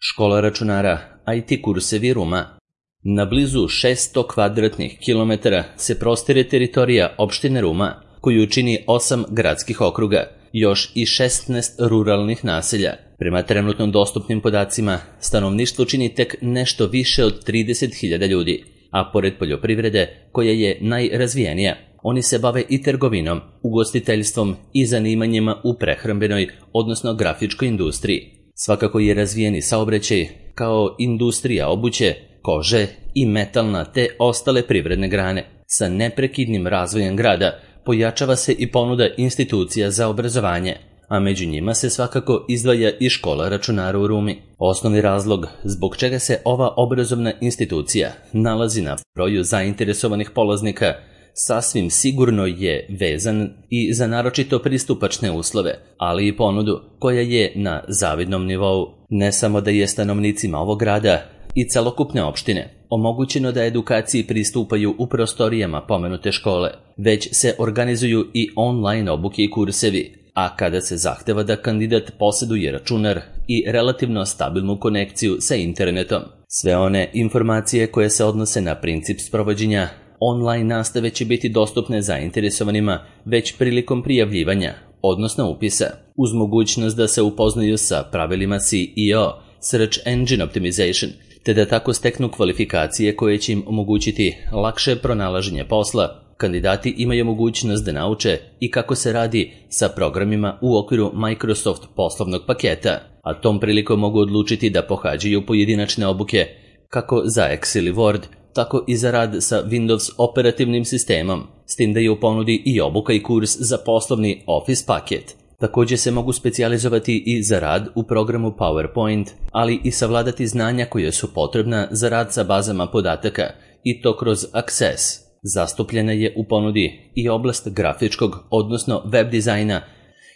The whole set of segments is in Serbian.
Škola računara, IT kursevi Ruma. Na blizu 600 kvadratnih kilometara se prostire teritorija opštine Ruma, koju čini 8 gradskih okruga, još i 16 ruralnih naselja. Prema trenutno dostupnim podacima, stanovništvo čini tek nešto više od 30.000 ljudi, a pored poljoprivrede, koja je najrazvijenija, oni se bave i trgovinom, ugostiteljstvom i zanimanjima u prehrambenoj, odnosno grafičkoj industriji. Svakako je razvijeni saobraćaj, kao industrija obuće, kože i metalna te ostale privredne grane. Sa neprekidnim razvojem grada pojačava se i ponuda institucija za obrazovanje, a među njima se svakako izdvaja i škola računara u Rumi. Osnovni razlog zbog čega se ova obrazovna institucija nalazi na broju zainteresovanih polaznika sasvim sigurno je vezan i za naročito pristupačne uslove, ali i ponudu koja je na zavidnom nivou. Ne samo da je stanovnicima ovog grada i celokupne opštine omogućeno da edukaciji pristupaju u prostorijama pomenute škole, već se organizuju i online obuke i kursevi, a kada se zahteva da kandidat poseduje računar i relativno stabilnu konekciju sa internetom. Sve one informacije koje se odnose na princip sprovođenja online nastave će biti dostupne zainteresovanima već prilikom prijavljivanja, odnosno upisa, uz mogućnost da se upoznaju sa pravilima SEO, Search Engine Optimization, te da tako steknu kvalifikacije koje će im omogućiti lakše pronalaženje posla. Kandidati imaju mogućnost da nauče i kako se radi sa programima u okviru Microsoft poslovnog paketa, a tom prilikom mogu odlučiti da pohađaju pojedinačne obuke kako za Excel i Word, tako i za rad sa Windows operativnim sistemom, s tim da je u ponudi i obuka i kurs za poslovni Office paket. Također se mogu specijalizovati i za rad u programu PowerPoint, ali i savladati znanja koje su potrebna za rad sa bazama podataka, i to kroz Access. Zastupljena je u ponudi i oblast grafičkog, odnosno web dizajna,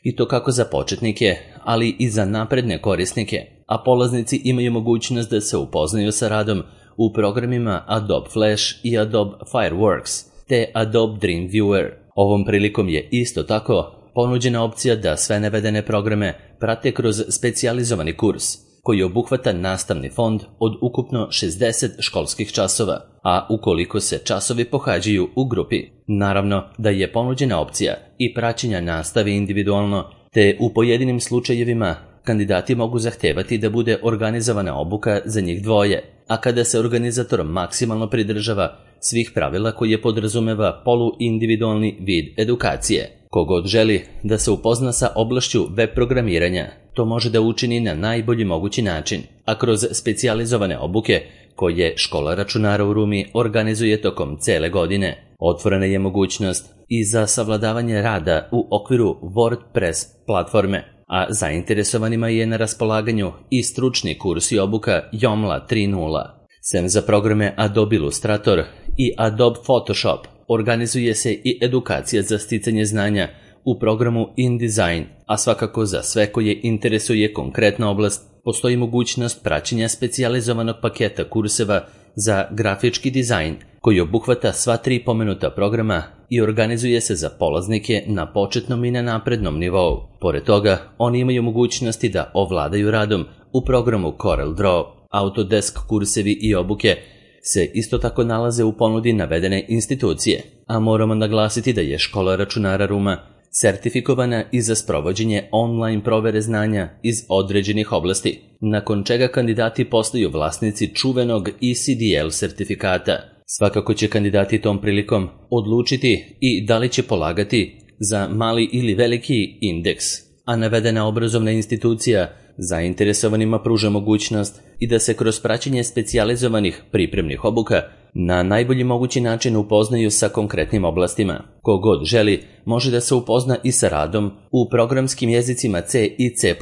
i to kako za početnike, ali i za napredne korisnike, a polaznici imaju mogućnost da se upoznaju sa radom u programima Adobe Flash i Adobe Fireworks, te Adobe Dreamweaver. Ovom prilikom je isto tako ponuđena opcija da sve navedene programe prate kroz specijalizovani kurs, koji obuhvata nastavni fond od ukupno 60 školskih časova, a ukoliko se časovi pohađaju u grupi. Naravno da je ponuđena opcija i praćenja nastave individualno, te u pojedinim slučajevima kandidati mogu zahtevati da bude organizovana obuka za njih dvoje, a kada se organizator maksimalno pridržava svih pravila koje podrazumeva poluindividualni vid edukacije. Kogod želi da se upozna sa oblašću web programiranja, to može da učini na najbolji mogući način, a kroz specijalizovane obuke koje škola računara u Rumi organizuje tokom cele godine. Otvorena je mogućnost i za savladavanje rada u okviru WordPress platforme, a zainteresovanima je na raspolaganju i stručni kurs i obuka Joomla 3.0. Sem za programe Adobe Illustrator i Adobe Photoshop, organizuje se i edukacija za sticanje znanja u programu InDesign, a svakako za sve koje interesuje konkretna oblast postoji mogućnost praćenja specijalizovanog paketa kurseva za grafički dizajn, koji obuhvata sva 3 pomenuta programa i organizuje se za polaznike na početnom i na naprednom nivou. Pored toga, oni imaju mogućnosti da ovladaju radom u programu CorelDRAW. Autodesk kursevi i obuke se isto tako nalaze u ponudi navedene institucije, a moramo naglasiti da je škola računara Ruma sertifikovana i za sprovođenje online provere znanja iz određenih oblasti, nakon čega kandidati postaju vlasnici čuvenog ECDL sertifikata. Svakako će kandidati tom prilikom odlučiti i da li će polagati za mali ili veliki indeks, a navedena obrazovna institucija zainteresovanima pruža mogućnost i da se kroz praćenje specijalizovanih pripremnih obuka na najbolji mogući način upoznaju sa konkretnim oblastima. Kogod želi može da se upozna i sa radom u programskim jezicima C i C++,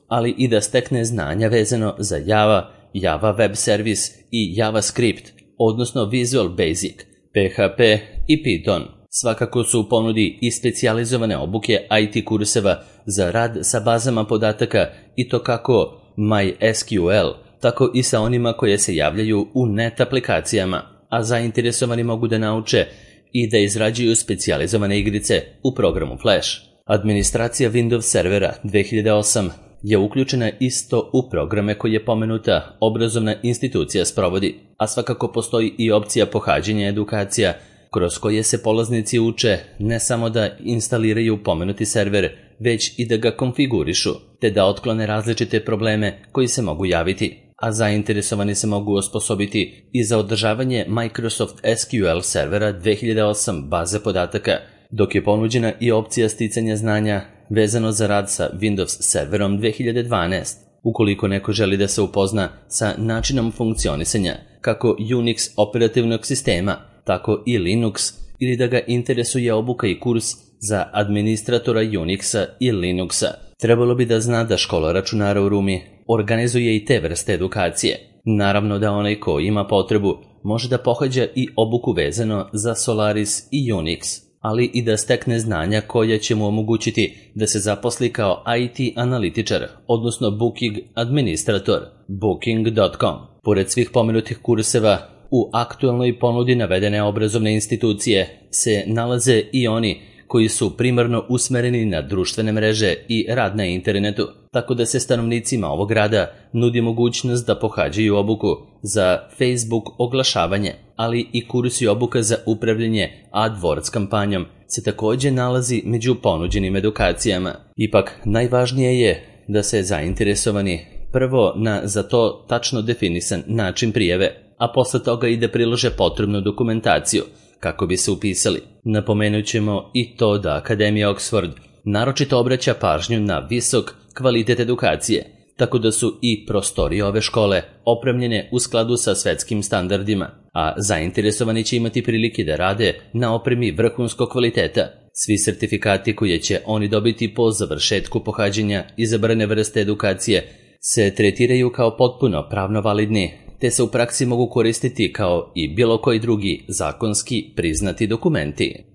ali i da stekne znanja vezano za Java, Java Web Service i JavaScript, odnosno Visual Basic, PHP i Python. Svakako su u ponudi i specijalizovane obuke IT kurseva za rad sa bazama podataka, i to kako MySQL, tako i sa onima koje se javljaju u net aplikacijama, a zainteresovani mogu da nauče i da izrađuju specijalizovane igrice u programu Flash. Administracija Windows servera 2008 je uključena isto u programe koje pomenuta obrazovna institucija sprovodi, a svakako postoji i opcija pohađanja edukacija kroz koje se polaznici uče ne samo da instaliraju pomenuti server, već i da ga konfigurišu, te da otklone različite probleme koji se mogu javiti, a zainteresovani se mogu osposobiti i za održavanje Microsoft SQL servera 2008 baze podataka, dok je ponuđena i opcija sticanja znanja vezano za rad sa Windows serverom 2012, ukoliko neko želi da se upozna sa načinom funkcionisanja kako Unix operativnog sistema, tako i Linux, ili da ga interesuje obuka i kurs za administratora Unixa i Linuxa. Trebalo bi da zna da škola računara u Rumi organizuje i te vrste edukacije. Naravno da onaj ko ima potrebu može da pohađa i obuku vezano za Solaris i Unix, ali i da stekne znanja koja će mu omogućiti da se zaposli kao IT analitičar, odnosno Booking administrator, booking.com. Pored svih pomenutih kurseva, u aktualnoj ponudi navedene obrazovne institucije se nalaze i oni koji su primarno usmereni na društvene mreže i rad na internetu, tako da se stanovnicima ovog grada nudi mogućnost da pohađaju obuku za Facebook oglašavanje, ali i kurs i obuka za upravljanje AdWords kampanjom se također nalazi među ponuđenim edukacijama. Ipak, najvažnije je da se zainteresovani prvo na za to tačno definisan način prijave, a posle toga i da prilože potrebnu dokumentaciju kako bi se upisali. Napomenut ćemo i to da Akademija Oxford naročito obraća pažnju na visok kvalitet edukacije, tako da su i prostorije ove škole opremljene u skladu sa svetskim standardima, a zainteresovani će imati prilike da rade na opremi vrhunskog kvaliteta. Svi sertifikati koje će oni dobiti po završetku pohađanja izabrane vrste edukacije se tretiraju kao potpuno pravno validni, te se u praksi mogu koristiti kao i bilo koji drugi zakonski priznati dokumenti.